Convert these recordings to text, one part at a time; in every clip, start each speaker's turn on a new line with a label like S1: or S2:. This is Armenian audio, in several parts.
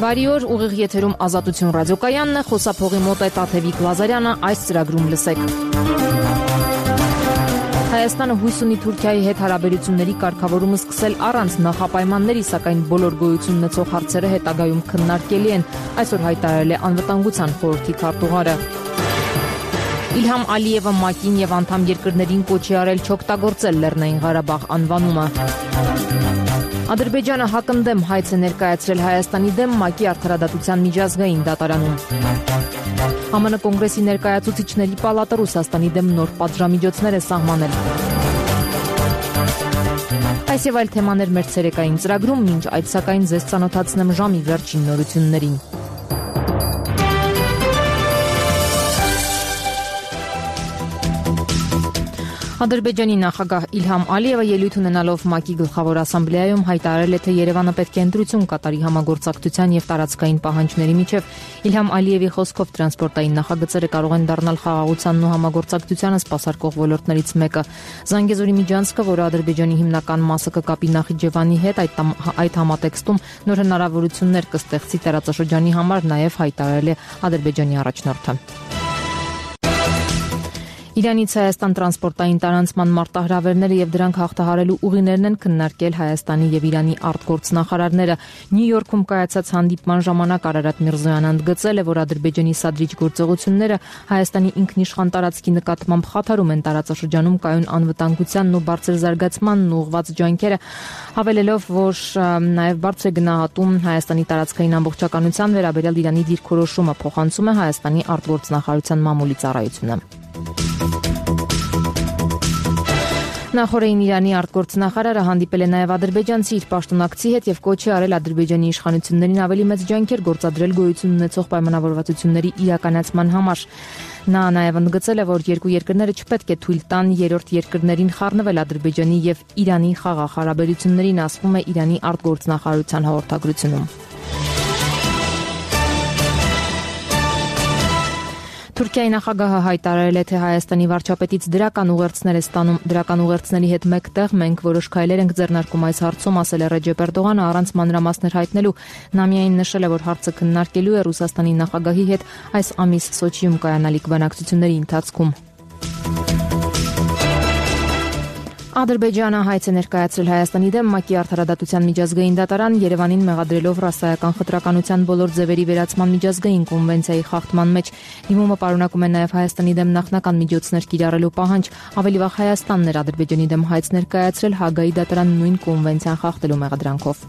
S1: Բարի օր, ուղիղ եթերում Ազատություն ռադիոկայանն է, խոսափողի մոտ է Տաթևիկ Լազարյանը, այս ծրագրում լսեք։ Հայաստանը հույս ունի Թուրքիայի հետ հարաբերությունների կարգավորումը սկսել առանց նախապայմանների, սակայն բոլոր գոյություն ունեցող հարցերը հետագայում քննարկելի են, այսօր հայտարարել է Անվտանգության խորհրդի քարտուղարը։ Իլհամ Ալիևը ՄԱԿ-ին եւ անդամ երկրներին կոչի արել չօգտագործել Լեռնային Ղարաբաղ անվանումը։ Ադրբեջանը հակընդդեմ հայց է ներկայացրել Հայաստանի դեմ ՄԱԿ-ի արդարադատության միջազգային դատարանում։ ԱՄՆ կոնգրեսի ներկայացուցիչների պալատը Ռուսաստանի դեմ նոր պատժամիջոցներ է սահմանել։ Այս եւ այլ թեմաներ մեր ցերեկային ծրագրում, մինչ այդ սակայն ձեզ ծանոթացնեմ ժամի վերջին նորություններին։ Ադրբեջանի նախագահ Իլհամ Ալիևը ելույթ ունենալով ՄԱԿ-ի գլխավոր ասամբլեայում հայտարարել է, թե Երևանը պետք է ընտրություն կատարի համագործակցության եւ տարածքային պահանջների միջև։ Իլհամ Ալիևի խոսքով տրանսպորտային նախագծերը կարող են դառնալ խաղաղությանն ու համագործակցությանը սպասարկող ոլորտներից մեկը։ Զանգեզուրի միջանցքը, որը Ադրբեջանի հիմնական մասը կկապի Նախիջևանի հետ, այդ համատեքստում նոր հնարավորություններ կստեղծի տարածաշրջանի համար, նաեւ հայտարարել է Ադրբեջանի առաջնորդը։ Իրանից Հայաստան տրանսպորտային տարանցման մարտահրավերները եւ դրանք հաղթահարելու ուղիներն են քննարկել Հայաստանի եւ Իրանի արտգործնախարարները։ Նյու Յորքում կայացած հանդիպման ժամանակ Արարատ Միրզոյանը ընդգծել է, որ Ադրբեջանի սադրիչ գործողությունները Հայաստանի ինքնիշխան տարածքի նկատմամբ խաթարում են տարածաշրջանում կայուն անվտանգությանն ու բարձր զարգացմանն ուղղված ջանքերը, հավելելով, որ նաեւ բարձր է գնահատում Հայաստանի տարածքային ամբողջականության վերաբերյալ Իրանի դիրքորոշումը, փոխանցում է Հայաստանի արտգործնախարարության մամուլի ծառայությունը։ Նախորդին Իրանի արտգործնախարարը հանդիպել է նաև ադրբեջանցի իր պաշտոնակցի հետ եւ կոչ է արել Ադրբեջանի իշխանություններին ավելի մեծ ջանքեր գործադրել գոյություն ունեցող պայմանավորվածությունների իրականացման համար։ Նա նաև ընդգծել է, որ երկու երկրները չպետք է թույլ տան երրորդ երկրներին խառնվել Ադրբեջանի եւ Իրանի խաղաղ հարաբերություններին, ասվում է Իրանի արտգործնախարարության հաղորդագրությունում։ Թուրքիայի նախագահը հայտարարել է, թե Հայաստանի վարչապետից դրական ուղերձներ է ստանում։ Դրական ուղերձների հետ մեկտեղ մենք որոշ քայլեր ենք ձեռնարկում այս հարցում, ասել է Ռեջեփ Էրդողանը առանց մանրամասներ հայտնելու։ Նա միայն նշել է, որ հարցը քննարկելու է Ռուսաստանի նախագահի հետ այս ամիս Սոչիում կայանալիք բանակցությունների ընթացքում։ Ադրբեջանը հայց է ներկայացրել Հայաստանի դեմ ՄԱԿ-ի արդարադատության միջազգային դատարան, Երևանին մեղադրելով ռասայական խտրականության բոլոր ձևերի վերացման միջազգային կոնվենցիայի խախտման մեջ։ Դիմումը պարունակում է նաև Հայաստանի դեմ նախնական միջոցներ կիրառելու պահանջ։ Ավելի վաղ Հայաստանն էր Ադրբեջանի դեմ հայց ներկայացրել Հագայի դատարան նույն կոնվենցիան խախտելու մեղադրանքով։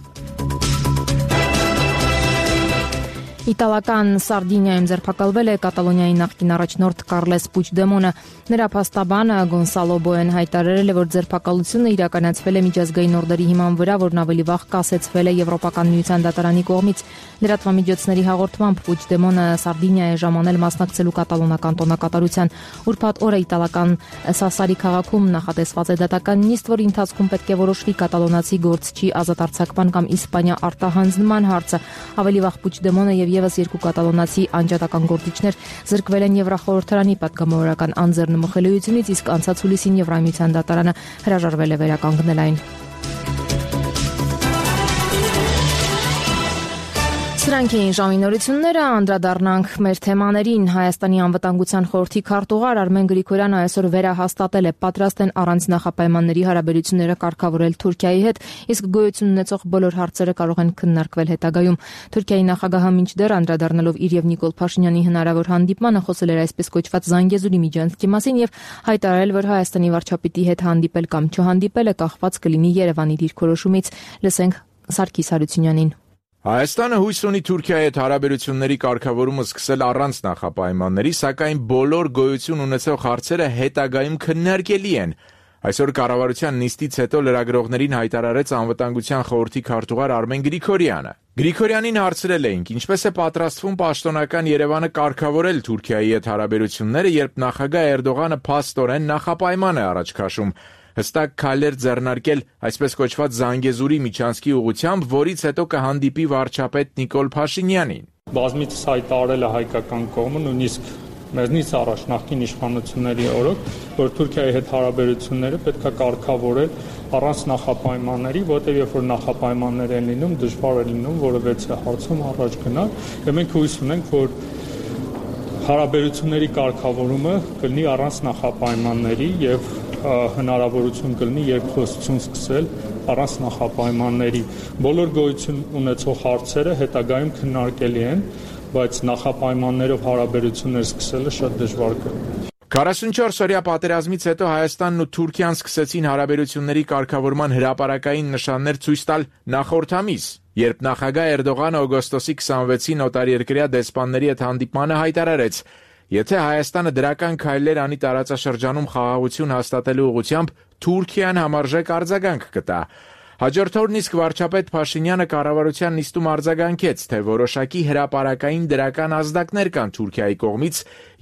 S1: Իտալական Սարդինիայում ձերբակալվել է Կատալոնիայի նախկին առաջնորդ Կարլես Պուչդեմոնը։ Նրա փաստաբանը Գոնսալո Բոեն հայտարարել է, որ ձերբակալությունը իրականացվել է միջազգային օրդերի հիման վրա, որն ավելի վաղ կասեցվել է Եվրոպական միության դատարանի կողմից։ Լրատվամիջոցների հաղորդմամբ Պուչդեմոնը Սարդինիա է ժամանել մասնակցելու կատալոնական տոնակատարության։ Ուրբաթ օրը իտալական Սասարի քաղաքում նախատեսված է դատական նիստ, որի ընթացքում պետք է որոշվի կատալոնացի գործչի ազատ արձակման կամ Իսպանիա արտահանձնման հարցը։ Ավելի վաղ Պուչդեմոնը եւ եւս երկու կատալոնացի անջատական գործիչներ զրկվել են Եվրախորհրդարանի պատգամավորական անձեռնմխելիությունից, իսկ անցած հուլիսին Եվրամիության դատարանը հրաժարվել է վերականգնել այն։ Սրանք էին ժամի նորությունները, անդրադառնանք մեր թեմաներին։ Հայաստանի անվտանգության խորհրդի քարտուղար Արմեն Գրիգորյանը այսօր վերահաստատել է, պատրաստ են առանց նախապայմանների հարաբերությունները կարգավորել Թուրքիայի հետ, իսկ գոյություն ունեցող բոլոր հարցերը կարող են քննարկվել հետագայում։ Թուրքիայի նախագահը մինչդեռ անդրադառնալով իր եւ Նիկոլ Փաշինյանի հնարավոր հանդիպմանը խոսել էր այսպես կոչված Զանգեզուրի միջանցքի մասին եւ հայտարարել, որ Հայաստանի վարչապետի հետ հանդիպել կամ չհանդիպելը կախված կլինի Երևանի դիրքորոշումից։ Լսենք Սարգիս Հարությունյանին։
S2: Հայաստանը հույս ունի Թուրքիայի հետ հարաբերությունների կարգավորումը սկսել առանց նախապայմանների, սակայն բոլոր գոյություն ունեցող հարցերը հետագայում քննարկելի են։ Այսօր կառավարության նիստից հետո լրագրողներին հայտարարեց անվտանգության խորհրդի քարտուղար Արմեն Գրիգորյանը։ Գրիգորյանին հարցրել էինք, ինչպես է պատրաստվում պաշտոնական Երևանը կարգավորել Թուրքիայի հետ հարաբերությունները, երբ նախագահ Էրդողանը փաստորեն նախապայման է առաջ քաշում։ Հստակ քայլեր ձեռնարկել այսպես կոչված Զանգեզուրի միջանցքի ուղղությամբ, որից հետո կհանդիպի վարչապետ Նիկոլ Փաշինյանին։
S3: Բազմիցս հայտարարել է հայկական կողմը, նույնիսկ մեզնից առաջ նախկին իշխանությունների օրոք, որ Թուրքիայի հետ հարաբերությունները պետք է կարգավորել առանց նախապայմանների, որտեղ երբ որ նախապայմաններ են լինում, դժվար է լինում որևէ հարցում առաջ գնալ, եւ մենք հույս ունենք, որ հարաբերությունների կարգավորումը կլինի առանց նախապայմանների եւ հնարավորություն կլինի երկխոսություն սկսել առանց նախապայմանների։ Բոլոր գոյություն ունեցող հարցերը հետագայում քննարկելի են, բայց նախապայմաններով հարաբերություններ սկսելը շատ դժվար կլինի։
S2: 44-օրյա պատերազմից հետո Հայաստանն ու Թուրքիան սկսեցին հարաբերությունների կարգավորման հրապարակային նշաններ ցույց տալ նախորդ ամիս, երբ նախագահ Էրդողանը օգոստոսի 26-ին օտարերկրյա դեսպանների հետ հանդիպմանը հայտարարեց. եթե Հայաստանը դրական քայլեր անի տարածաշրջանում խաղաղություն հաստատելու ուղղությամբ, Թուրքիան համարժեք արձագանք կտա։ Հաջորդ օրն իսկ վարչապետ Փաշինյանը կառավարության նիստում արձագանքեց, թե որոշակի հրապարակային դրական ազդակներ կան Թուրքիայի կողմից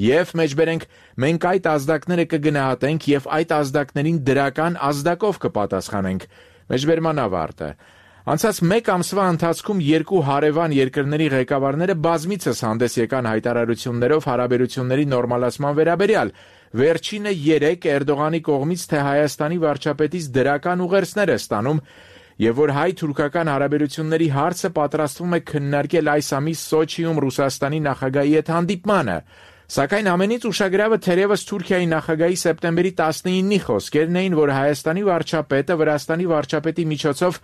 S2: եւ մեջբերենք մենք այդ ազդակները կգնահատենք եւ այդ ազդակներին դրական ազդակով կպատասխանենք։ Մեջբերման ավարտը։ Անցած մեկ ամսվա ընթացքում երկու հարևան երկրների ղեկավարները բազմիցս հանդես եկան հայտարարություններով հարաբերությունների նորմալացման վերաբերյալ։ Վերջինը 3 Էրդողանի կողմից, թե Հայաստանի վարչապետից դրական ուղերձներ է ստանում եւ որ հայ-թուրքական հարաբերությունների հարցը պատրաստվում է քննարկել այս ամիս Սոչիում Ռուսաստանի նախագահի հետ հանդիպմանը։ Սակայն ամենից ուշագրավը թերևս Թուրքիայի նախագահի սեպտեմբերի 19-ի խոսքերն էին, որ Հայաստանի վարչապետը Վրաստանի վարչապետի միջոցով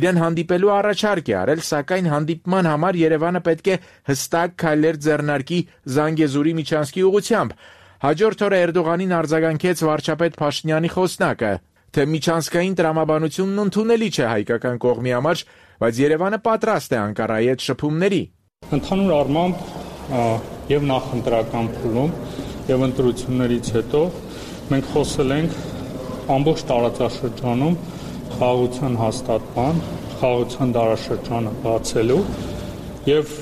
S2: իրեն հանդիպելու առաջարկ է արել, սակայն հանդիպման համար Երևանը պետք է հստակ քայլեր ձեռնարկի Զանգեզուրի միջանցքի ուղղությամբ։ Հաջորդ օրը Էրդողանին արձագանքեց վարչապետ Փաշինյանի խոսնակը, թե միջանցքային տրամաբանությունն ընդունելի չէ հայկական կողմի համար, բայց Երևանը պատրաստ է Անկարայի հետ շփումների։
S3: Ընդհանուր առմամբ եւ նախընտրական փուլում եւ ընտրություններից հետո մենք խոսել ենք ամբողջ տարածաշրջանում խաղաղության հաստատման, խաղաղության դարաշրջանը բացելու եւ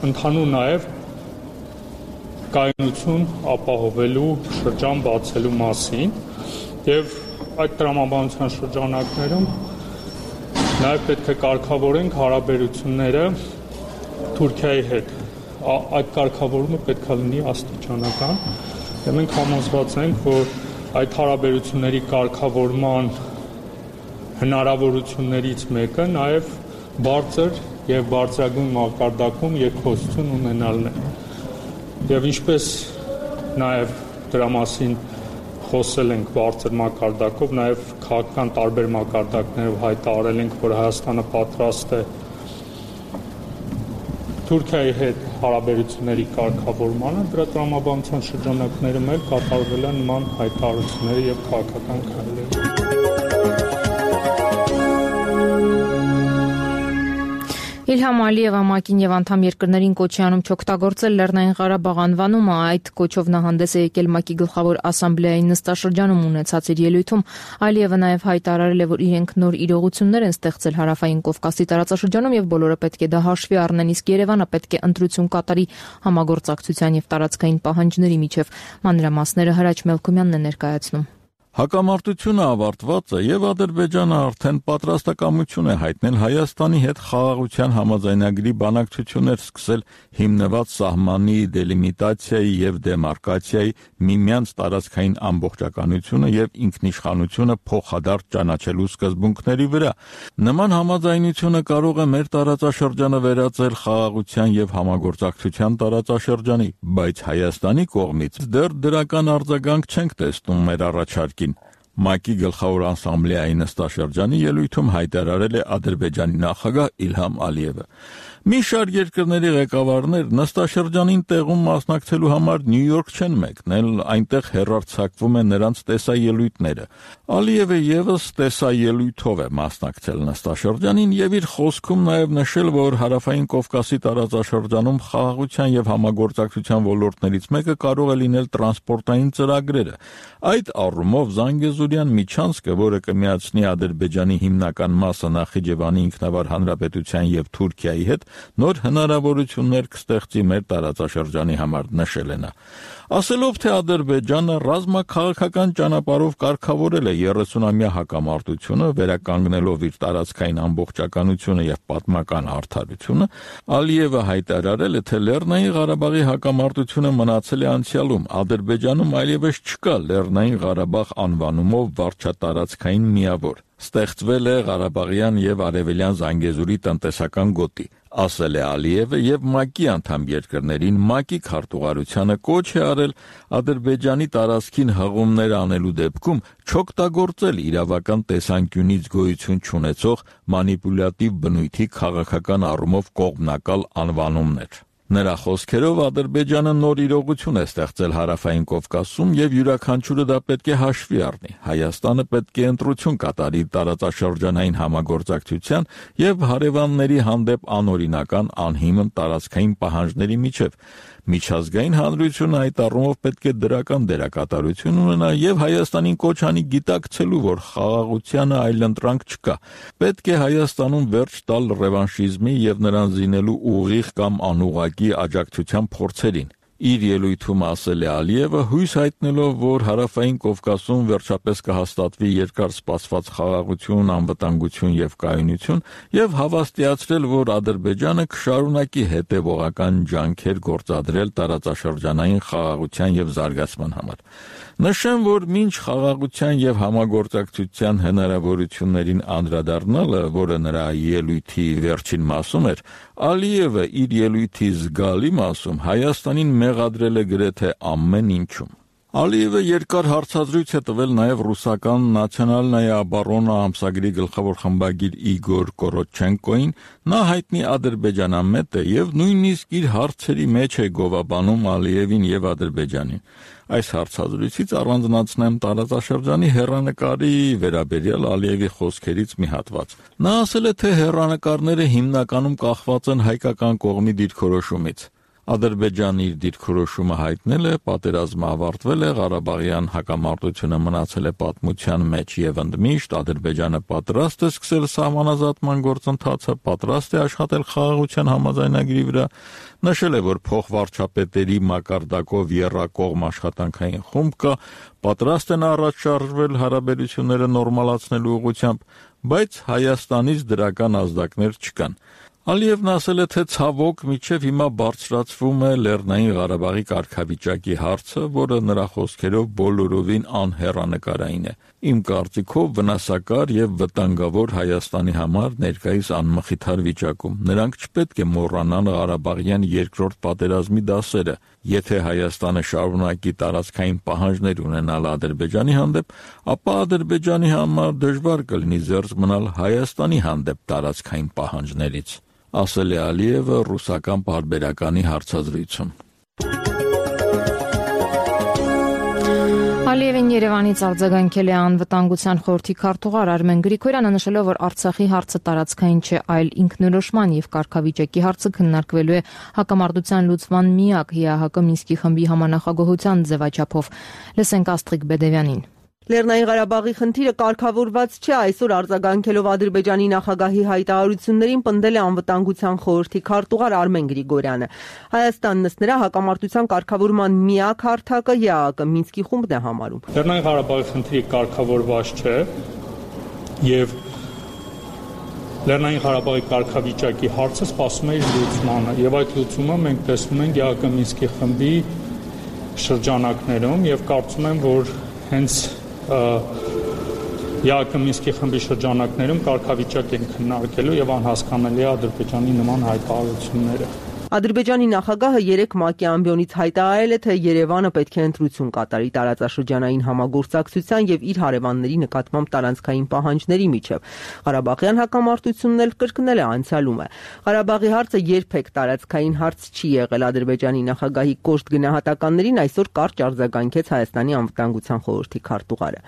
S3: ընդհանուր նաեւ կայունություն ապահովելու շրջան բացելու մասին եւ այդ տրամաբանության շրջանակներում նաեւ պետք է կարգավորենք հարաբերությունները Թուրքիայի հետ։ Այդ կարգավորումը պետք է լինի աստիճանական եւ մենք համոզված ենք, որ այդ հարաբերությունների կարգավորման հնարավորություններից մեկը նաեւ բարձր եւ բարձրագույն մակարդակում երկխոսություն ունենալն է։ Եվ ինչպես նաեւ դրա մասին խոսել ենք բարձր մակարդակով, նաեւ քաղաքական տարբեր մակարդակներով հայտարարել ենք, որ Հայաստանը պատրաստ է Թուրքիայի հետ հարաբերությունների կարգավորմանը, դրա տրամաբանության շրջանակներում էլ կատարվել են նման հայտարարությունները եւ քաղաքական քայլեր։
S1: Իլհամ Ալիևը ՄԱԿ-ին եւ անդամ երկրներին կոչ է անում չօգտագործել Լեռնային Ղարաբաղ անվանումը, այդ կոչով նա հանդես է եկել ՄԱԿ-ի գլխավոր ասամբլեայի նստաշրջանում ունեցած իր ելույթում։ Ալիևը նաեւ հայտարարել է, որ իրենք նոր իրողություններ են ստեղծել Հարավային Կովկասի տարածաշրջանում եւ բոլորը պետք է դա հաշվի առնեն, իսկ Երևանը պետք է ընտրություն կատարի համագործակցության եւ տարածքային պահանջների միջև։ Մանրամասները Հրաչ Մելքումյանն է ներկայացնում։
S4: Հակամարտությունը ավարտված է եւ Ադրբեջանը արդեն պատրաստակամություն է հայտնել Հայաստանի հետ խաղաղության համաձայնագրի բանակցություններ սկսել հիմնված սահմանի դելիմիտացիայի եւ դեմարկացիայի միմյանց տարածքային ամբողջականությունը եւ ինքնիշխանությունը փոխադարձ ճանաչելու սկզբունքների վրա։ Նման համաձայնությունը կարող է մեր տարածաշրջանը վերածել խաղաղության եւ համագործակցության տարածաշրջանի, բայց Հայաստանի կողմից դեռ դրական արձագանք չենք տեսնում մեր առաջարկին։ ՄԱԿ-ի գլխավոր ասամբլեայի նստաշրջանի ելույթում հայտարարել է Ադրբեջանի նախագահ Իլհամ Ալիևը։ Մի շարք երկրների ղեկավարներ նստաշրջանին տեղում մասնակցելու համար Նյու Յորք չեն մեկնել, այնտեղ հեռարձակվում են նրանց տեսաելույթները։ Ալիևը եւս տեսաելույթով է մասնակցել նստաշրջանին եւ իր խոսքում նաեւ նշել, որ Հարավային Կովկասի տարածաշրջանում խաղաղության եւ համագործակցության ոլորտներից մեկը կարող է լինել տրանսպորտային ծրագրերը։ Այդ առումով Զանգեզուրյան միջանցքը, որը կմիացնի Ադրբեջանի հիմնական մասը Նախիջևանի ինքնավար հանրապետության եւ Թուրքիայի հետ, նոր հնարավորություններ կստեղծի մեր տարածաշրջանի համար, նշել է նա։ Ասելով, թե Ադրբեջանը ռազմաքաղաքական ճանապարհով կարգավորել է 30-ամյա հակամարտությունը, վերականգնելով իր տարածքային ամբողջականությունը եւ պատմական արդարությունը, Ալիևը հայտարարել է, թե Լեռնային Ղարաբաղի հակամարտությունը մնացել է անցյալում, Ադրբեջանում այլևս չկա Լեռնային Ղարաբաղ անվանումը առումով վարչատարածքային միավոր։ Ստեղծվել է Ղարաբաղյան եւ Արևելյան Զանգեզուրի տնտեսական գոտի, ասել է Ալիևը եւ ՄԱԿ-ի անդամ երկրներին ՄԱԿ-ի քարտուղարությանը կոչ է արել Ադրբեջանի տարածքին հղումներ անելու դեպքում չօգտագործել իրավական տեսանկյունից գոյություն չունեցող մանիպուլյատիվ բնույթի քաղաքական առումով կողմնակալ անվանումներ։ Նրա խոսքերով Ադրբեջանը նոր իրողություն է ստեղծել Հարավային Կովկասում եւ յուրաքանչյուրը դա պետք է հաշվի առնի։ Հայաստանը պետք է ընտրություն կատարի տարածաշրջանային համագործակցության եւ հարևանների հանդեպ անօրինական անհիմն տարածքային պահանջների միջև։ Միջազգային հանրությունը այդ առումով պետք է դրական դերակատարություն ունենա եւ Հայաստանին կոչ անի գիտակցելու, որ խաղաղությանը այլընտրանք չկա։ Պետք է Հայաստանում վերջ տալ ռևանշիզմի եւ նրան զինելու ուղիղ կամ անուղղակի աջակցության փորձերին։ Իր ելույթում ասել է Ալիևը, հույս հայտնելով, որ Հարավային Կովկասում վերջապես կհաստատվի երկար սպասված խաղաղություն, անվտանգություն եւ կայունություն, եւ հավաստիացրել, որ Ադրբեջանը կշարունակի հետեւողական ջանքեր գործադրել տարածաշրջանային խաղաղության եւ զարգացման համար։ Նշեմ, որ մինչ խաղաղության եւ համագործակցության հնարավորություններին անդրադառնալը, որը նրա ելույթի վերջին մասում էր, Ալիևը իր ելույթի զգալի մասում Հայաստանին մեղադրել է գրեթե ամեն ինչում։ Ալիևը երկար հարցազրույց է տվել նաև ռուսական Նացիոնալնայա Օբորոնա ամսագրի գլխավոր խմբագիր Իգոր Կորոչենկոին, նա հայտնի ադրբեջանամետ է եւ նույնիսկ իր հարցերի մեջ է գովաբանում Ալիևին եւ Ադրբեջանին։ Այս հարցազրույցից առանձնացնեմ տարածաշրջանի հեռանկարի վերաբերյալ Ալիևի խոսքերից մի հատված։ Նա ասել է, թե հեռանկարները հիմնականում կախված են հայկական կողմի դիրքորոշումից։ Ադրբեջանը իր դիրքորոշումը հայտնել է, պատերազմը ավարտվել է, Ղարաբաղյան հակամարտությունը մնացել է պատմության մեջ եւ ընդմիշտ Ադրբեջանը պատրաստ է սկսել սահմանազատման գործընթացը, պատրաստ է աշխատել խաղաղության համաձայնագրի վրա, նշել է, որ փոխվարչապետերի մակարդակով եռակողմ աշխատանքային խումբ կա, պատրաստ են առաջ շարժվել հարաբերությունները նորմալացնելու ուղղությամբ, բայց Հայաստանից դրական ազդակներ չկան։ Ալիևն ասել է, թե ցավոք մինչև հիմա բարձրացվում է Լեռնային Ղարաբաղի կարգավիճակի հարցը, որը նրա խոսքերով բոլորովին անհեռանկարային է։ Իմ կարծիքով վնասակար եւ վտանգավոր Հայաստանի համար ներկայիս անմխիթար վիճակում։ Նրանք չպետք է մոռանան Ղարաբաղյան երկրորդ պատերազմի դասերը։ Եթե Հայաստանը շարունակի տարածքային պահանջներ ունենալ Ադրբեջանի հանդեպ, ապա Ադրբեջանի համար դժվար կլինի զերծ մնալ Հայաստանի հանդեպ տարածքային պահանջներից, ասել է Ալիևը ռուսական պարբերականի հարցազրույցում։
S1: Ալիևին Երևանից արձագանքել է անվտանգության խորհրդի քարտուղար Արմեն Գրիգորյանը, նշելով, որ Արցախի հարցը տարածքային չէ, այլ ինքնորոշման եւ կարգավիճակի հարցը քննարկվելու է հակամարտության լուծման միակ ՀՀԿ Մինսկի խմբի համանախագահության ձևաչափով։ Լսենք Աստղիկ Բեդևյանին։
S5: Լեռնային Ղարաբաղի խնդիրը կարգավորված չէ, այսօր արձագանքելով Ադրբեջանի նախագահի հայտարարություններին պնդել է անվտանգության խորհրդի քարտուղար Արմեն Գրիգորյանը։ Հայաստանն ըստ նրա հակամարտության կարգավորման միակ հարթակը ՀԱԿ Մինսկի խումբն է համարում։
S3: Լեռնային Ղարաբաղի խնդիրը կարգավորված չէ եւ Լեռնային Ղարաբաղի կարգավիճակի հարցը սպասում է իր լուծմանը եւ այդ լուծումը մենք տեսնում ենք ՀԱԿ Մինսկի խմբի շրջանակներում եւ կարծում եմ, որ հենց ՀԱԿ Մինսկի խմբի շրջանակներում կարգավիճակ են քննարկելու եւ անհասկանալի է Ադրբեջանի նման հայտարարությունները։
S5: Ադրբեջանի նախագահը 3 ՄԱԿ-ի ամբիոնից հայտարարել է, թե Երևանը պետք է ընտրություն կատարի տարածաշրջանային համագործակցության եւ իր հարևանների նկատմամբ տարածքային պահանջների միջև։ Ղարաբաղյան հակամարտությունն էլ կրկնել է անցյալումը։ Ղարաբաղի հարցը երբեք տարածքային հարց չի եղել։ Ադրբեջանի նախագահի կոշտ գնահատականներին այսօր կարճ արձագանքեց Հայաստանի անվտանգության խորհրդի քարտուղարը։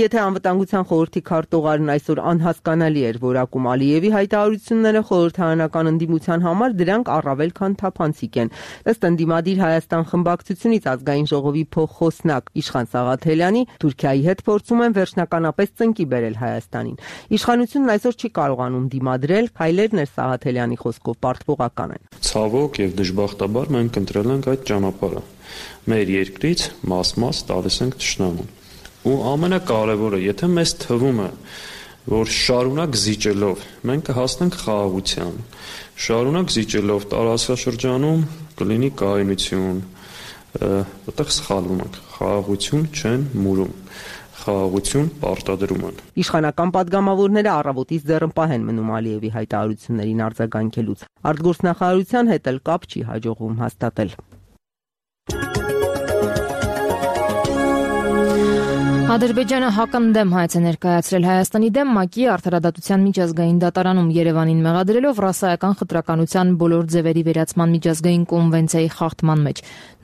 S5: Եթե անվտանգության խորհրդի քարտուղարն այսօր անհասկանալի էր որակում Ալիևի հայտարարությունները խորհրդարանական ընդդիմության համար, դրանք առավել քան թափանցիկ են։ Ըստ ընդդիմադիր Հայաստան խմբակցությունից ազգային ժողովի փոխխոսնակ Իշխան Սաղաթելյանի, Թուրքիայի հետ փորձում են վերջնականապես ծնկի բերել Հայաստանին։ Իշխանությունն այսօր չի կարողանում դիմադրել, քայլերն էր Սաղաթելյանի խոսքով պարտվողական են։
S6: Ցավոք եւ դժբախտաբար մենք ընտրել ենք այդ ճանապարհը։ Մեր երկրից մաս-մաս տալիս ենք թշնամուն։ Ու ամենակարևորը, եթե մեզ թվում է, որ շարունակ զիջելով մենք կհասնենք խաղաղության, շարունակ զիջելով տարածաշրջանում կլինի կայունություն, այդտեղ սխալվում ենք, խաղաղություն չեն մուրում։ խաղաղություն պարտադրում են։
S5: Իշխանական падգամավորները առավոտից դեռ պահեն մնում Ալիևի հայտարարություններին արձագանքելուց։ Արտգործնախարարության հետ էլ կապ չի հաջողվում հաստատել։
S1: Ադրբեջանը հակընդդեմ հայց է ներկայացրել Հայաստանի դեմ ՄԱԿ-ի արդարադատության միջազգային դատարանում Երևանին մեղադրելով ռասայական խտրականության բոլոր ձևերի վերացման միջազգային կոնվենցիայի խախտման մեջ։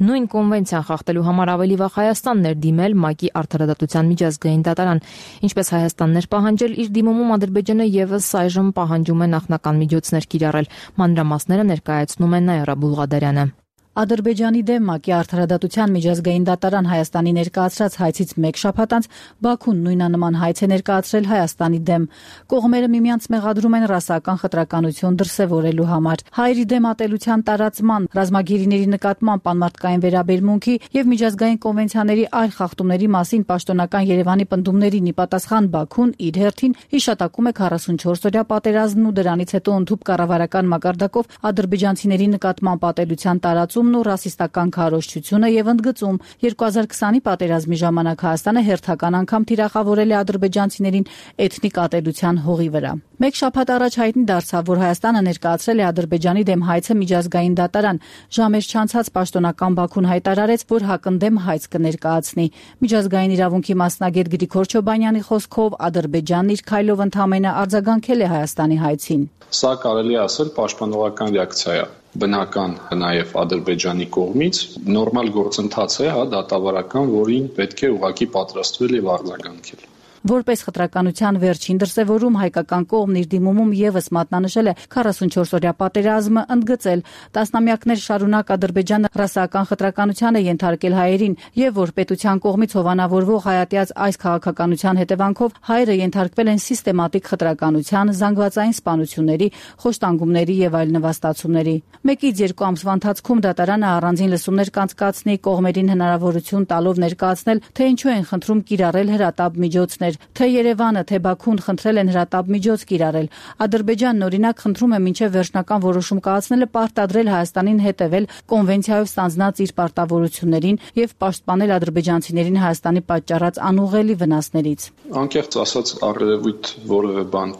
S1: Նույն կոնվենցիան խախտելու համար ավելի վաղ Հայաստանն էր դիմել ՄԱԿ-ի արդարադատության միջազգային դատարան։ Ինչպես Հայաստանն էր պահանջել, իր դիմումում Ադրբեջանը եւս այժմ պահանջում է նախնական միջոցներ կիրառել։ Մանրամասները ներկայացնում է Նաիրա Բուլղադարյանը։
S7: Ադրբեջանի դեմ ՄԱԿ-ի արդարադատության միջազգային դատարան Հայաստանի ներկայացրած հայցից մեկ շաբաթ անց Բաքուն նույնանման հայց է ներկայացրել Հայաստանի դեմ։ Կողմերը միմյանց մեղադրում են ռասական խտրականություն դրսևորելու համար։ Հայերի դեմ ատելության տարածման, ռազմագերիների նկատմամբ անմարդկային վերաբերմունքի եւ միջազգային կոնվենցիաների այլ խախտումների մասին պաշտոնական Երևանի պնդումներին ի պատասխան Բաքուն իր հերթին հիշատակում է 44-օրյա պատերազմն ու դրանից հետո ընդհուպ կառավարական մակարդակով ադրբեջանցիների նկատմամբ ատելության տարածում ու ռասիստական քարոզչությունը եւ ընդգծում 2020-ի պատերազմի ժամանակ Հայաստանը հերթական անգամ թիրախավորել է ադրբեջանցիներին էթնիկ ատելության հողի վրա։ Մեկ շաբաթ առաջ հայտնի դարձավ, որ Հայաստանը ներկայացրել է Ադրբեջանի դեմ հայցը միջազգային դատարան։ Ժամեր չանցած պաշտոնական Բաքուն հայտարարեց, որ հակընդդեմ հայց կներկայացնի։ Միջազգային իրավունքի մասնագետ Գրիգոր Չոբանյանի խոսքով Ադրբեջանն իր քայլով ընդհանրապես արձագանքել է Հայաստանի հայցին։
S8: Սա կարելի ասել պաշտպանողական ռեակցիա է, բնական նաև Ադրբեջանի կողմից, նորմալ գործընթաց է, դատավարական, որին պետք է ուղղակի պատրաստվել եւ արձագանքել։
S7: Որպես խտրականության վերջին դրսևորում հայկական կողմն իր դիմումում եւս մատնանշել է 44-օրյա պատերազմը, ընդգծել տասնամյակներ շարունակ Ադրբեջանը ռասայական խտրականության է ենթարկել հայերին եւ որ պետության կողմից հովանավորվող հայատյաց այս քաղաքականության հետևանքով հայերը ենթարկվել են սիստեմատիկ խտրականության, զանգվածային սպանությունների, խոշտանգումների եւ այլ նվաստացումների։ 1-ից 2 ամսվա ընթացքում դատարանը առանձին լսումներ կանցկացնի, կողմերին հնարավորություն տալով ներկայացնել, թե ինչու են խնդրում կիրառել հրատապ միջոցներ։ Թե Երևանը, թե Բաքուն խնդրել են հրատապ միջոց կիրառել։ Ադրբեջանն օրինակ խնդրում է մինչև վերջնական որոշում կայացնելը պարտադրել Հայաստանին հետևել կոնվենցիայով ստանձնած իր պարտավորություններին եւ պաշտպանել ադրբեջանցիներին Հայաստանի պատճառած անուղղելի վնասներից։
S8: Անկեղծ ասած, առերևույթ որևէ բան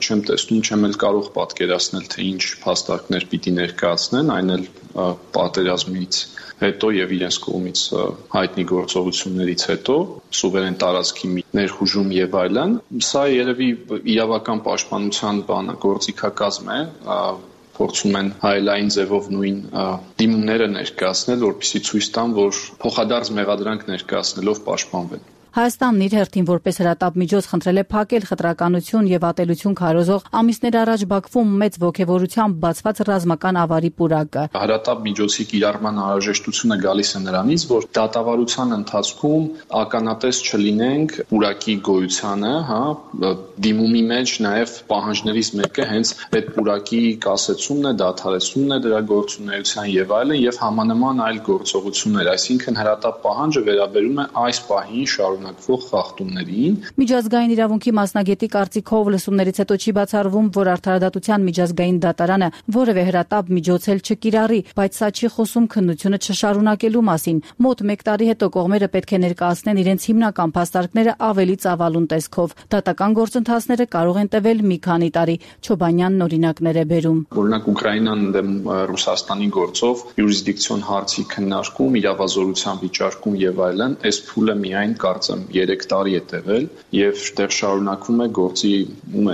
S8: չեմ տեսնում, չեմ էլ կարող պատկերացնել, թե ինչ փաստարկներ պիտի ներկայացնեն, այն էլ պատերազմից հետո եւ իրենց կողմից հայտնի գործողություններից հետո սուվերեն տարածքի ներխուժում եւ այլն։ Սա երևի իրավական պաշտպանության գործիքակազմ է, փորձում են հայելային ձևով նույն դիմումները ներկայացնել, որպեսզի ցույց տան, որ փոխադարձ մեղադրանք ներկայացնելով պաշտպանվեն։
S7: Հայաստանն իր հերթին որպես հրատապ միջոց խնդրել է փակել խտրականություն եւ ատելություն քարոզող ամիսներ առաջ Բաքվում մեծ ողջավորությամբ բացված ռազմական ավարի պուրակը։
S8: Հրատապ միջոցի կիրառման անհրաժեշտությունը գալիս է նրանից, որ դատավարության ընթացքում ականատես չլինենք պուրակի գոյությանը, դիմումի մեջ նաեւ պահանջներից մեկը հենց այդ պուրակի կասեցումն է, դադարեցումն է դրա գործունեության եւ այլն եւ համանման այլ գործողություններ, այսինքն հրատապ պահանջը վերաբերում է այս պահին շարունակվող խախտումներին։
S7: Միջազգային իրավունքի մասնագետի կարծիքով լսումներից հետո չի բացառվում, որ արդարադատության միջազգային դատարանը որևէ հրատապ միջոց էլ չկիրառի, բայց սա չի խոսում քննությունը չշարունակելու մասին։ Մոտ 1 տարի հետո կողմերը պետք է ներկայացնեն իրենց հիմնական փաստարկները ավելի ծավալուն տեսքով։ Դատական գործընթացները կարող են տևել մի քանի տարի։ Չոբանյանն օրինակներ է բերում։
S8: Օրինակ Ուկրաինան դեմ Ռուսաստանի գործով յուրիսդիկցիոն հարցի քննարկում, իրավազորության վիճարկում եւ այլն, այս փուլը միայն կարծեմ 3 տարի է տևել եւ դեռ շարունակվում է գործի,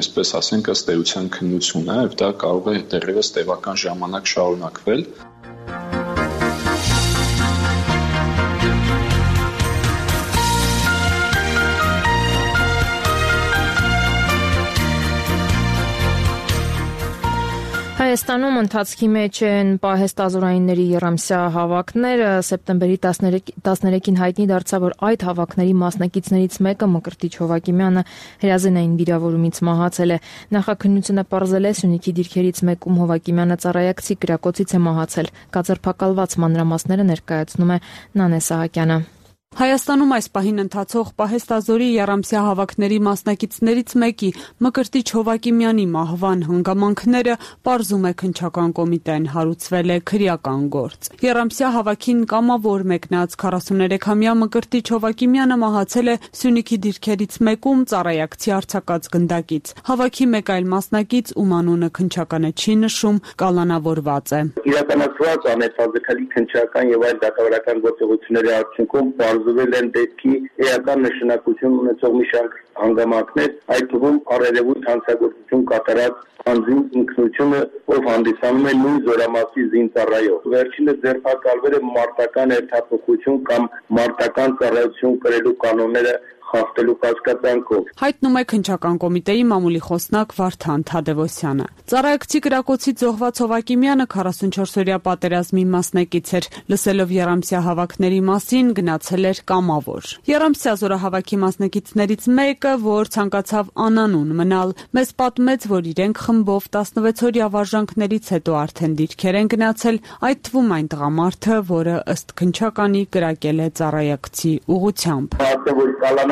S8: այսպես ասենք, ըստ էության քննությունը, եւ դա կարող է դեռևս տևական ժամանակ շարունակվել։
S1: Հայաստանում ընթացքի մեջ են պահեստազորայինների եռամսյա հավաքները։ Սեպտեմբերի 13-ին հայտնի դարձավ, որ այդ հավաքների մասնակիցներից մեկը Մկրտիչ Հովակիմյանը հրազենային վիրավորումից մահացել է։ Նախաքննությունը պարզել է Սյունիքի դիրքերից մեկում Հովակիմյանը ծառայակցի կրակոցից է մահացել։ Կազմակերպված մանրամասները ներկայացնում է Նանե Սահակյանը։
S9: Հայաստանում այս պահին ընթացող Պահեստազորի Եռամսյա հավաքների մասնակիցներից մեկի Մկրտիչ Հովակիմյանի մահվան հանգամանքները պարզում է քննչական կոմիտեն, հարուցվել է քրեական գործ։ Եռամսյա հավաքին կամավոր մեկնած 43-ամյա Մկրտիչ Հովակիմյանը մահացել է Սյունիքի դիրքերից մեկում ծառայակցի արձակած գնդակից։ Հավաքի մեկ այլ մասնակից, ում անունը քննչականը չի նշում, կալանավորված է։
S10: Իրականացված անհետաձգելի քննչական եւ այլ դատավարական գործողությունների արդյունքում բարձվել են դեպքի էական նշանակություն ունեցող մի շարք հանգամանքներ, այդ թվում առերևույթ հանցագործություն կատարած անձին ինքնությունը, ով հանդիսանում է նույն զորամասի զինծառայող։ Վերջինս ձերբակալվել է մարտական երթափոխություն կամ մարտական ծառայություն կրելու կանոնները խախտելու կասկածանքով։
S9: Հայտնում է քննչական կոմիտեի մամուլի խոսնակ Վարդան Թադևոսյանը։ Ծառայակցի կրակոցից զոհված Հովակիմյանը 44-օրյա պատերազմի մասնակից էր, լսելով Եռամսյա հավաքների մասին գնացել էր կամավոր։ Եռամսյա զորահավաքի մասնակիցներից մեկը, որ ցանկացավ անանուն մնալ, մեզ պատմեց, որ իրենք խմբով 16-օրյա վարժանքներից հետո արդեն դիրքեր են գնացել, այդ թվում այն տղամարդը, որը ըստ քննչականի կրակել է ծառայակցի ուղղությամբ։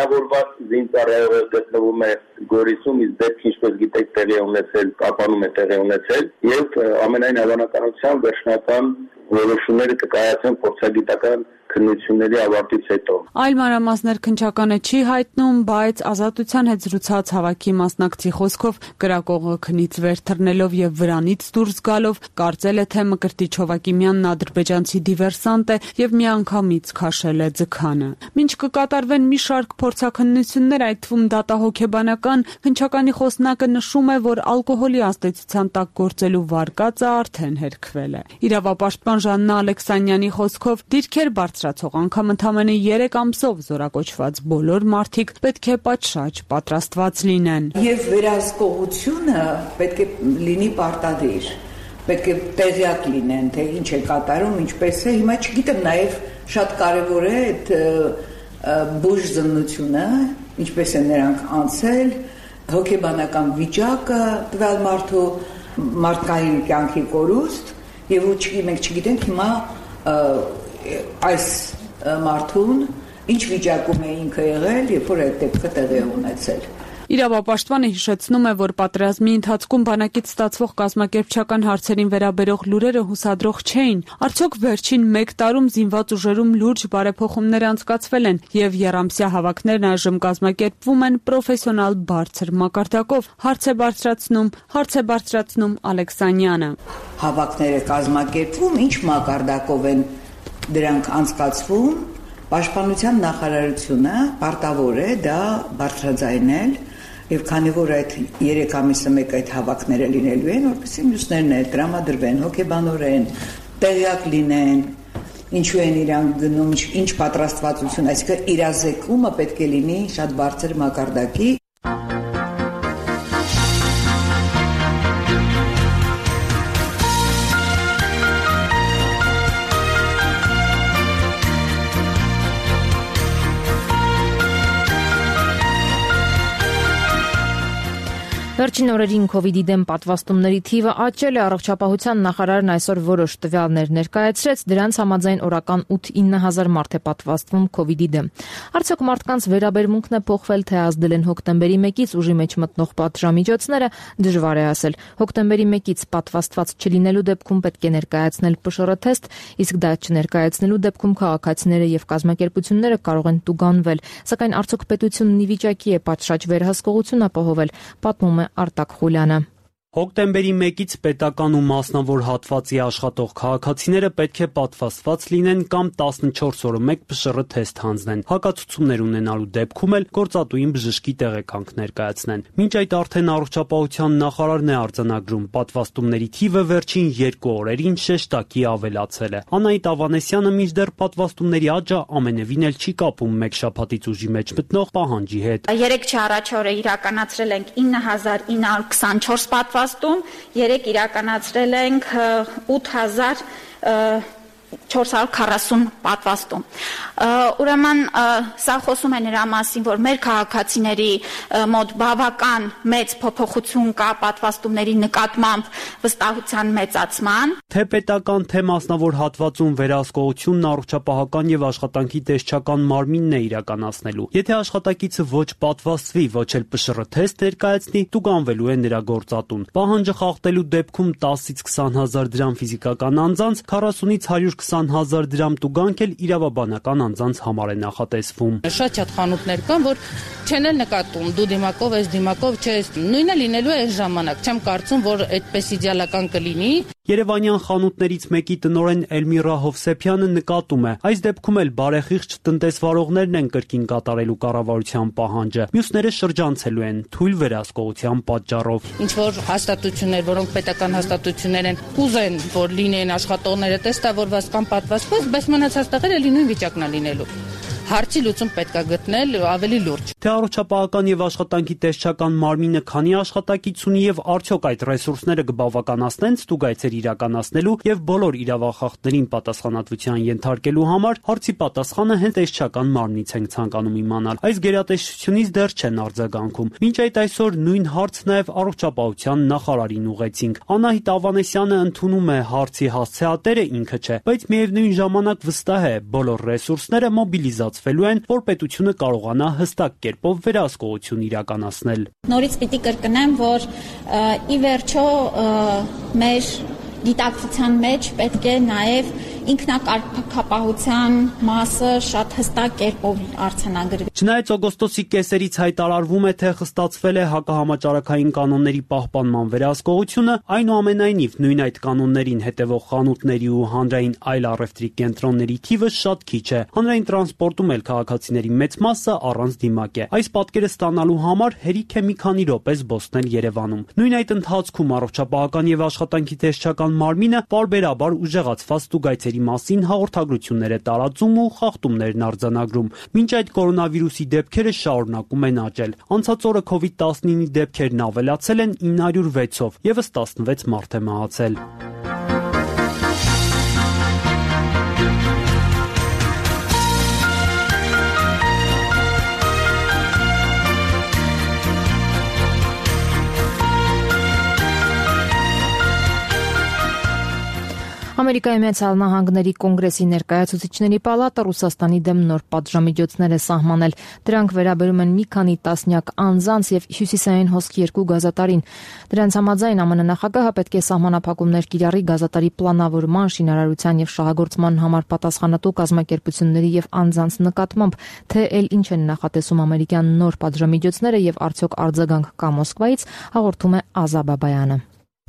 S10: Կալանավորված զինծառայողը գտնվում է Գորիսում, իսկ դեպքը ինչպես գիտեք տեղի ունեցել, Կապանում է տեղի ունեցել եւ ամենայն հավանականությամբ վերջնական որոշումները կկայացնեն փորձագիտական քննությունների ավարտից հետո։
S9: Այլ մանրամասներ քննչականը չի հայտնում, բայց Ազատության հետ զրուցած հավաքի մասնակցի խոսքով կրակողը քնից վեր թռնելով եւ վրանից դուրս գալով կարծել է, թե Մկրտիչ Հովակիմյանն ադրբեջանցի դիվերսանտ է եւ միանգամից քաշել է ձգանը։ Մինչ կկատարվեն մի շարք փորձաքննություններ, այդ թվում դատահոգեբանական, քննչականի խոսնակը նշում է, որ ալկոհոլի ազդեցության տակ գործելու վարկածը արդեն հերքվել է։ Իրավապաշտպան Ժաննա Ալեքսանյանի խոսքով դիրքեր բարձրացող անգամ ընդամենը 3 ամսով զորակոչված բոլոր մարդիկ պետք է պատշաճ պատրաստված լինեն։
S11: Եվ վերահսկողությունը պետք է լինի պարտադիր, պետք է տեղյակ լինեն, թե ինչ է կատարում, ինչպես է։ Հիմա չգիտեմ, նաև շատ կարևոր է այդ բուժզննությունը, ինչպես է նրանք անցել, հոգեբանական վիճակը, տվյալ մարդու մարդկային կյանքի կորուստ, եւ մենք չգիտենք հիմա այս մարդուն ինչ վիճակում է ինքը եղել, երբ որ այդ դեպքը տեղի ունեցել։
S9: Իրավապաշտպանը հիշեցնում է, որ պատերազմի ընթացքում բանակից ստացվող կազմակերպչական հարցերին վերաբերող լուրերը հուսադրող չէին։ Արդյոք վերջին 1 տարում զինված ուժերում լուրջ բարեփոխումներ անցկացվել են եւ եռամսյա հավաքներն այժմ կազմակերպվում են պրոֆեսիոնալ բարձր մակարդակով։ Հարց է բարձրացնում Ալեքսանյանը։
S11: Հավաքները կազմակերպվում, ինչ մակարդակով են դրանք անցկացվում, Պաշտպանության նախարարությունը պարտավոր է դա բարձրաձայնել եւ քանի որ այդ 3 ամիսը մեկ այդ հավաքները լինելու են, որպեսզի մյուսներն էլ տրամադրվեն հոգեբանորեն, տեղյակ լինեն, ինչու են իրանք գնում, ինչ պատրաստվածություն, այսինքն իրազեկումը պետք է լինի շատ բարձր մակարդակի։
S1: Վերջին օրերին COVID-ի դեմ պատվաստումների թիվը աճել է, առողջապահության նախարարն այսօր որոշ տվյալներ ներկայացրեց, դրանց համաձայն օրական 8-9000 մարդ է պատվաստվում COVID-ի դեմ։ Արդյոք մարդկանց վերաբերմունքն է փոխվել, թե ազդել են հոկտեմբերի 1-ից ուժի մեջ մտնող պատժամիջոցները, դժվար է ասել։ Հոկտեմբերի 1-ից պատվաստված չլինելու դեպքում պետք է ներկայացնել ՊՇՌ թեստ, իսկ դա չներկայացնելու դեպքում քաղաքացիները եւ կազմակերպությունները կարող են տուգանվել, սակայն արդյոք պետությունն ի վիճակի է պատշաճ վերահսկողություն ապահովել, պատմում է Արտակ Խուլյանը։
S12: Հոկտեմբերի 1-ից պետական ու մասնավոր հատվածի աշխատող քաղաքացիները պետք է պատվաստված լինեն կամ 14 օրը մեկ ՊՇՌ թեստ հանձնեն։ Հակացություններ ունենալու դեպքում էլ գործատուին բժշկի տեղեկանք ներկայացնեն։ Մինչ այդ արդեն առողջապահության նախարարն է արձանագրում, պատվաստումների թիվը վերջին 2 օրերին շեշտակի ավելացել է։ Անահիտ Ավանեսյանը մինչդեռ պատվաստումների աճը ամենևին էլ չի կապում մեկ շաբաթից ուժի մեջ մտնող պահանջի հետ։
S13: 3 չառաջ օրը իրականացրել ենք 9924 պատվաստում, 3 իրականացրել ենք 8000 440 պատվաստում։ Ուրեմն սա խոսում է նրա մասին, որ մեր քաղաքացիների մոտ բավական մեծ փոփոխություն կա պատվաստումների նկատմամբ վստահության մեծացման։
S12: Թե պետական, թե մասնավոր հատվածում վերահսկողությունն առողջապահական եւ աշխատանքի տեսչական մարմինն է իրականացնելու։ Եթե աշխատակիցը ոչ պատվաստվի, ոչ էլ ՊՇՌ թեստ ներկայացնի, տուգանվելու է նրա գործատուն։ Պահանջը խախտելու դեպքում 10-ից 20,000 դրամ ֆիզիկական անձանց, 40-ից 120,000 դրամ տուգանք էլ իրավաբանական անձանց համար է նախատեսվում։
S14: Շատ խանութներ կան, որ չեն էլ նկատում, դու դիմակով ես դիմակով չես, նույնը լինելու է այս ժամանակ, չեմ կարծում, որ այդպես իդեալական կլինի։
S12: Երևանյան խանութներից մեկի տնօրեն Էլմիրա Հովսեփյանը նկատում է, այս դեպքում էլ բարեխիղճ տնտեսվարողներն են կրկին կատարելու կառավարության պահանջը, մյուսները շրջանցելու են թույլ վերահսկողության պատճառով։
S14: Ինչ որ հաստատություններ, որոնք պետական հաստատություններ են, կուզեն, որ լինեն աշխատողները տեստավորված կամ պատվաստված, բայց մնացած տեղերը նույն վիճակն է լինելու։ Հարցի լուծում պետք է գտնել ավելի լուրջ։
S12: Թե առողջապահական եւ աշխատանքի տեսչական մարմինը քանի աշխատակից ունի եւ արդյոք այդ ռեսուրսները կբավականացնեն ստուգայցեր իրականացնելու եւ բոլոր իրավախախտներին պատասխանատվության ենթարկելու համար, հարցի պատասխանը հենց տեսչական մարմնից ենք ցանկանում իմանալ։ Այս գերատեսչությունից դեռ չեն արձագանքում։ Մինչ այդ այսօր նույն հարց նաեւ առողջապահության նախարարին ուղեցինք։ Անահիտ Ավանեսյանը ընդունում է հարցի հասցեատերը ինքը չէ, բայց միևնույն ժամանակ վստահ է բոլոր ռեսուրսները մոբիլիզացվելու են, որ պետությունը կարողանա հստակ կերպով վերահսկողություն իրականացնել։
S13: Նորից պիտի կրկնեմ, որ ի վերջո մեր գիտակցության մեջ պետք է նաև ինքնակարգապահության մասը շատ հստակ կերպով արձանագրվի։
S12: Չնայած օգոստոսի կեսերից հայտարարվում է, թե խստացվել է հակահամաճարակային կանոնների պահպանման վերահսկողությունը, այնուամենայնիվ նույն այդ կանոններին հետևող խանութների ու հանրային այլ առևտրի կենտրոնների թիվը շատ քիչ է։ Հանրային տրանսպորտում էլ քաղաքացիների մեծ մասը առանց դիմակ է։ Այս պատկերը ստանալու համար հերիք է մի քանի րոպե զբոսնել Երևանում։ Նույն այդ ընթացքում առողջապահական եւ աշխատանքի տեսչական մարմինը պարբերաբար ուժեղացված ստուգայցերի մասին հաղորդագրություններ է տարածում ու խախտումներն արձանագրում։ Մինչ այդ կորոնավիրուսի դեպքերը շարունակում են աճել։ Անցած օրը COVID-19-ի դեպքերն ավելացել են 906-ով, եւս 16 մարդ է մահացել։
S1: Ամերիկայի Միացյալ Նահանգների կոնգրեսի ներկայացուցիչների պալատը Ռուսաստանի դեմ նոր պատժամիջոցներ է սահմանել։ Դրանք վերաբերում են մի քանի տասնյակ անձանց եւ հյուսիսային հոսք 2 գազատարին։ Դրանց համաձայն ԱՄՆ նախագահը պետք է սահմանափակումներ կիրառի գազատարի պլանավորման, շինարարության եւ շահագործման համար պատասխանատու կազմակերպությունների եւ անձանց նկատմամբ, թե էլ ինչ են նախատեսում ամերիկյան նոր պատժամիջոցները եւ արդյոք արձագանք կա Մոսկվայից, հաղորդում է Ազա Բաբայանը։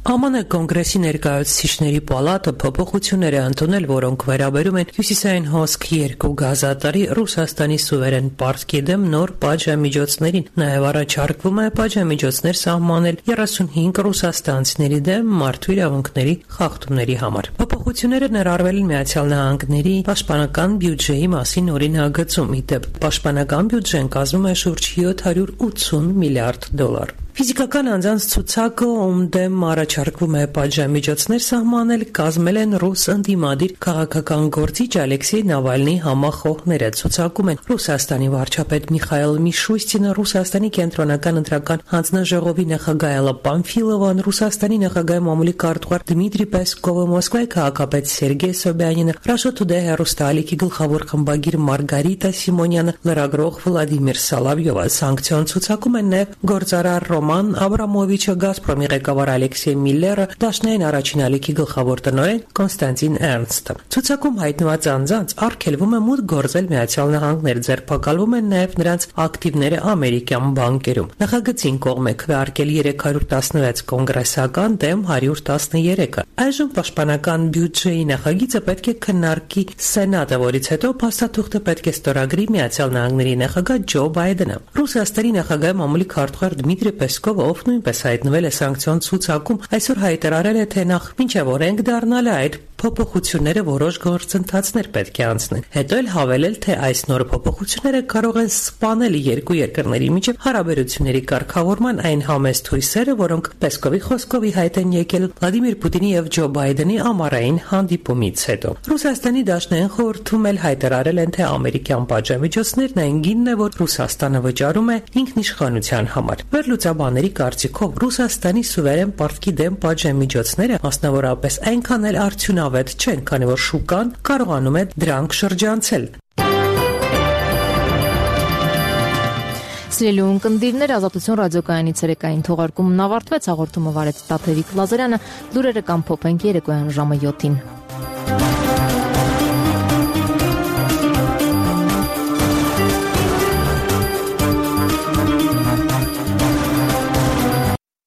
S15: ԱՄՆ կոնգրեսի ներկայացուցիչների պալատը փոփոխություններ է ընդունել, որոնք վերաբերում են հյուսիսային հոսք 2 գազատարի Ռուսաստանի սուվերեն պարտքի դեմ նոր պատժամիջոցներին։ Նաև առաջարկվում է պատժամիջոցներ սահմանել 35 ռուսաստանցիների դեմ մարդու իրավունքների խախտումների համար։ Փոփոխությունները ներառվել են Միացյալ Նահանգների պաշտպանական բյուջեի մասին օրինագծում։ Իդեպ պաշտպանական բյուջեն կազմում է շուրջ $780 միլիարդ։ Ֆիզիկական անձանց ցուցակը, ում դեմ առաջարկվում է պատժամիջոցներ սահմանել, կազմել են ռուս ընդդիմադիր քաղաքական գործիչ Ալեքսեյ Նավալնի համախոհները։ Ցուցակում են Ռուսաստանի վարչապետ Միխայել Միշուստինը, Ռուսաստանի կենտրոնական ընտրական հանձնաժողովի նախագահ Էլլա Պամֆիլովան, Ռուսաստանի նախագահի մամուլի քարտուղար Դմիտրի Պեսկովը, Մոսկվայի քաղաքապետ Սերգեյ Սոբյանինը, Russia Today հեռուստաալիքի գլխավոր խմբագիր Մարգարիտա Սիմոնյանը, լրագրող Վլադիմիր Սալավյովը։ Սանկցիոն ցուցակում են նաև գործարար Ռոման Աբրամովիչը, Գազպրոմի ղեկավար Ալեքսեյ Միլլերը, Դաշնային առաջին ալիքի գլխավոր տնօրեն Կոնստանտին Էրնստը։ Ցուցակում հայտնված անձանց արգելվում է մուտք գործել Միացյալ Նահանգներ, ձերբակալվում են նաև նրանց ակտիվները ամերիկյան բանկերում։ Նախագծին կողմ է քվեարկել 316 կոնգրեսական դեմ 113-ը։ Այժմ պաշտպանական բյուջեի նախագիծը պետք է քննարկի Սենատը, որից հետո փաստաթուղթը պետք է ստորագրի Միացյալ Նահանգների նախագահ Ջո Բայդենը։ Ռուսաստանի նախագահի մամուլի քարտուղար Դմիտրի Պեսկովը, ով նույնպես հայտնվել է սանկցիոն ցուցակում, այսօր հայտարարել է, թե նախ մինչև օրենք դառնալը այդ փոփոխությունները որոշ գործընթացներ պետք է անցնեն։ Հետո էլ հավելել, թե այս նոր փոփոխությունները կարող են սպանել երկու երկրների միջև հարաբերությունների կարգավորման այն համեստ հույսերը, որոնք Պեսկովի խոսքով ի հայտ են եկել Վլադիմիր Պուտինի եւ Ջո Բայդենի ամառային հանդիպումից հետո։ Ռուսաստանի դաշնային խորհրդում էլ հայտարարել են, թե ամերիկյան պատժամիջոցներն այն գինն է, որ Ռուսաստանը վճարում է ինքնիշխանության համար։ Վերլուծաբանների կարծիքով Ռուսաստանի սուվերեն պարտքի դեմ պատժամիջոցները մասնավորապես այնքան էլ արդյունավետ չեն, քանի որ շուկան կարողանում է դրանք շրջանցել։
S1: Սիրելի ունկնդիրներ, Ազատություն ռադիոկայանի ցերեկային թողարկումն ավարտվեց, հաղորդումը վարեց Տաթևիկ Լազարյանը, լուրերը կամփոփենք երեկոյան ժամը 7-ին։